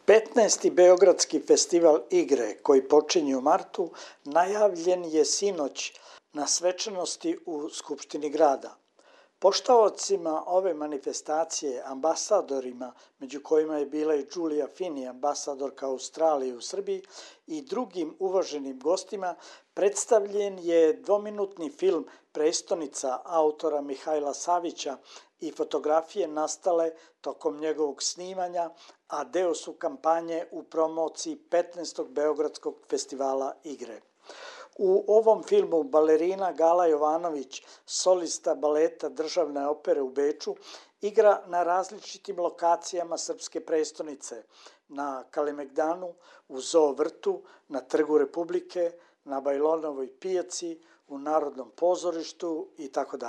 15. Beogradski festival igre, koji počinje u martu, najavljen je sinoć na svečanosti u Skupštini grada. Poštaocima ove manifestacije, ambasadorima, među kojima je bila i Giulia Fini, ambasadorka Australije u Srbiji, i drugim uvaženim gostima, predstavljen je dvominutni film Prestonica autora Mihajla Savića i fotografije nastale tokom njegovog snimanja, a deo su kampanje u promociji 15. Beogradskog festivala igre. U ovom filmu balerina Gala Jovanović, solista baleta Državne opere u Beču, igra na različitim lokacijama srpske prestonice, na Kalemegdanu, u Zoo vrtu, na Trgu Republike, na Bajlonovoj pijaci, u Narodnom pozorištu itd.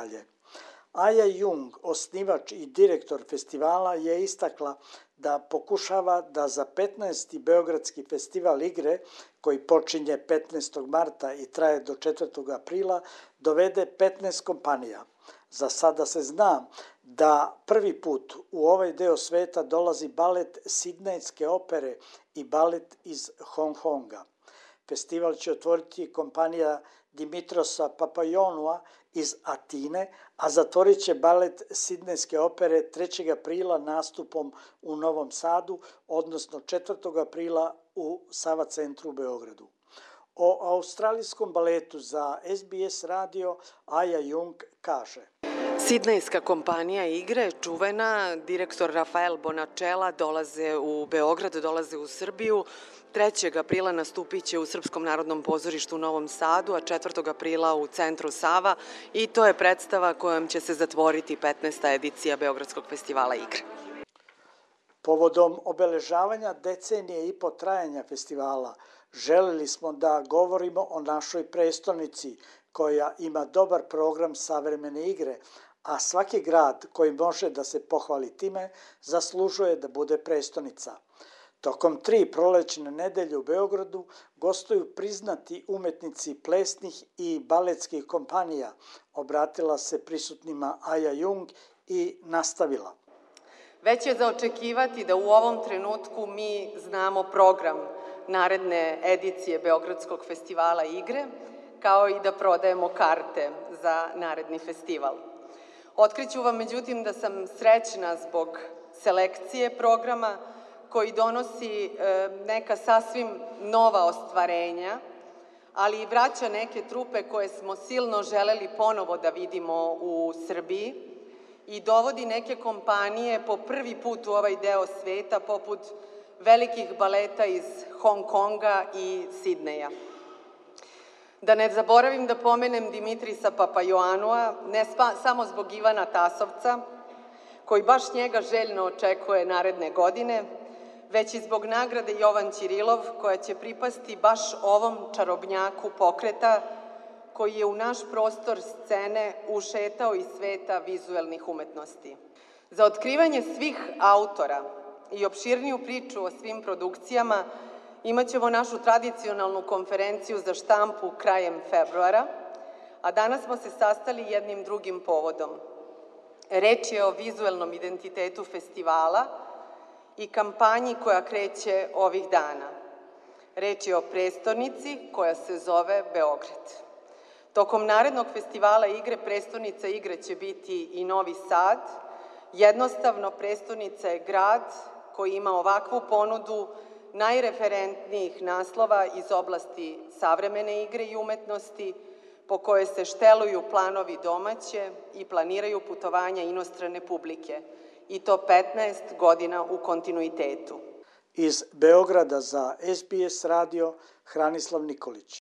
Aja Jung, osnivač i direktor festivala, je istakla da pokušava da za 15. Beogradski festival igre, koji počinje 15. marta i traje do 4. aprila, dovede 15 kompanija. Za sada se zna da prvi put u ovaj deo sveta dolazi balet Sidnejske opere i balet iz Hong Konga. Festival će otvoriti kompanija Dimitrosa Papaionoua iz Atine, a zatvorit će balet Sidnejske opere 3. aprila nastupom u Novom Sadu, odnosno 4. aprila u Sava centru u Beogradu. O australijskom baletu za SBS radio Aja Jung kaže: Sidnejska kompanija igre, čuvena, direktor Rafael Bonachela dolaze u Beograd, dolaze u Srbiju. 3. aprila nastupit će u Srpskom narodnom pozorištu u Novom Sadu, a 4. aprila u centru Sava, i to je predstava kojom će se zatvoriti 15. edicija Beogradskog festivala igre. Povodom obeležavanja decenije i po trajanja festivala, želeli smo da govorimo o našoj prestonici, koja ima dobar program savremene igre, a svaki grad koji može da se pohvali time zaslužuje da bude prestonica. Tokom 3 prolećne nedelje u Beogradu gostuju priznati umetnici plesnih i baletskih kompanija, obratila se prisutnima Aja Jung i nastavila. Već je za očekivati da u ovom trenutku mi znamo program naredne edicije Beogradskog festivala igre, kao i da prodajemo karte za naredni festival. Otkriću vam, međutim, da sam srećna zbog selekcije programa koji donosi neka sasvim nova ostvarenja, ali i vraća neke trupe koje smo silno želeli ponovo da vidimo u Srbiji i dovodi neke kompanije po prvi put u ovaj deo sveta, poput velikih baleta iz Hong Konga i Sidneja. Da ne zaboravim da pomenem Dimitrisa Papaionoua, ne samo zbog Ivana Tasovca, koji baš njega željno očekuje naredne godine, već i zbog nagrade Jovan Ćirilov, koja će pripasti baš ovom čarobnjaku pokreta, koji je u naš prostor scene ušetao iz sveta vizuelnih umetnosti. Za otkrivanje svih autora i opširniju priču o svim produkcijama imaćemo našu tradicionalnu konferenciju za štampu krajem februara, a danas smo se sastali jednim drugim povodom. Reč je o vizuelnom identitetu festivala i kampanji koja kreće ovih dana. Reč je o prestonici koja se zove Beograd. Tokom narednog festivala igre, prestonica igre će biti i Novi Sad. Jednostavno, prestonica je grad koji ima ovakvu ponudu najreferentnijih naslova iz oblasti savremene igre i umetnosti, po kojoj se šteluju planovi domaće i planiraju putovanja inostrane publike, i to 15 godina u kontinuitetu. Iz Beograda za SBS radio Hranislav Nikolić.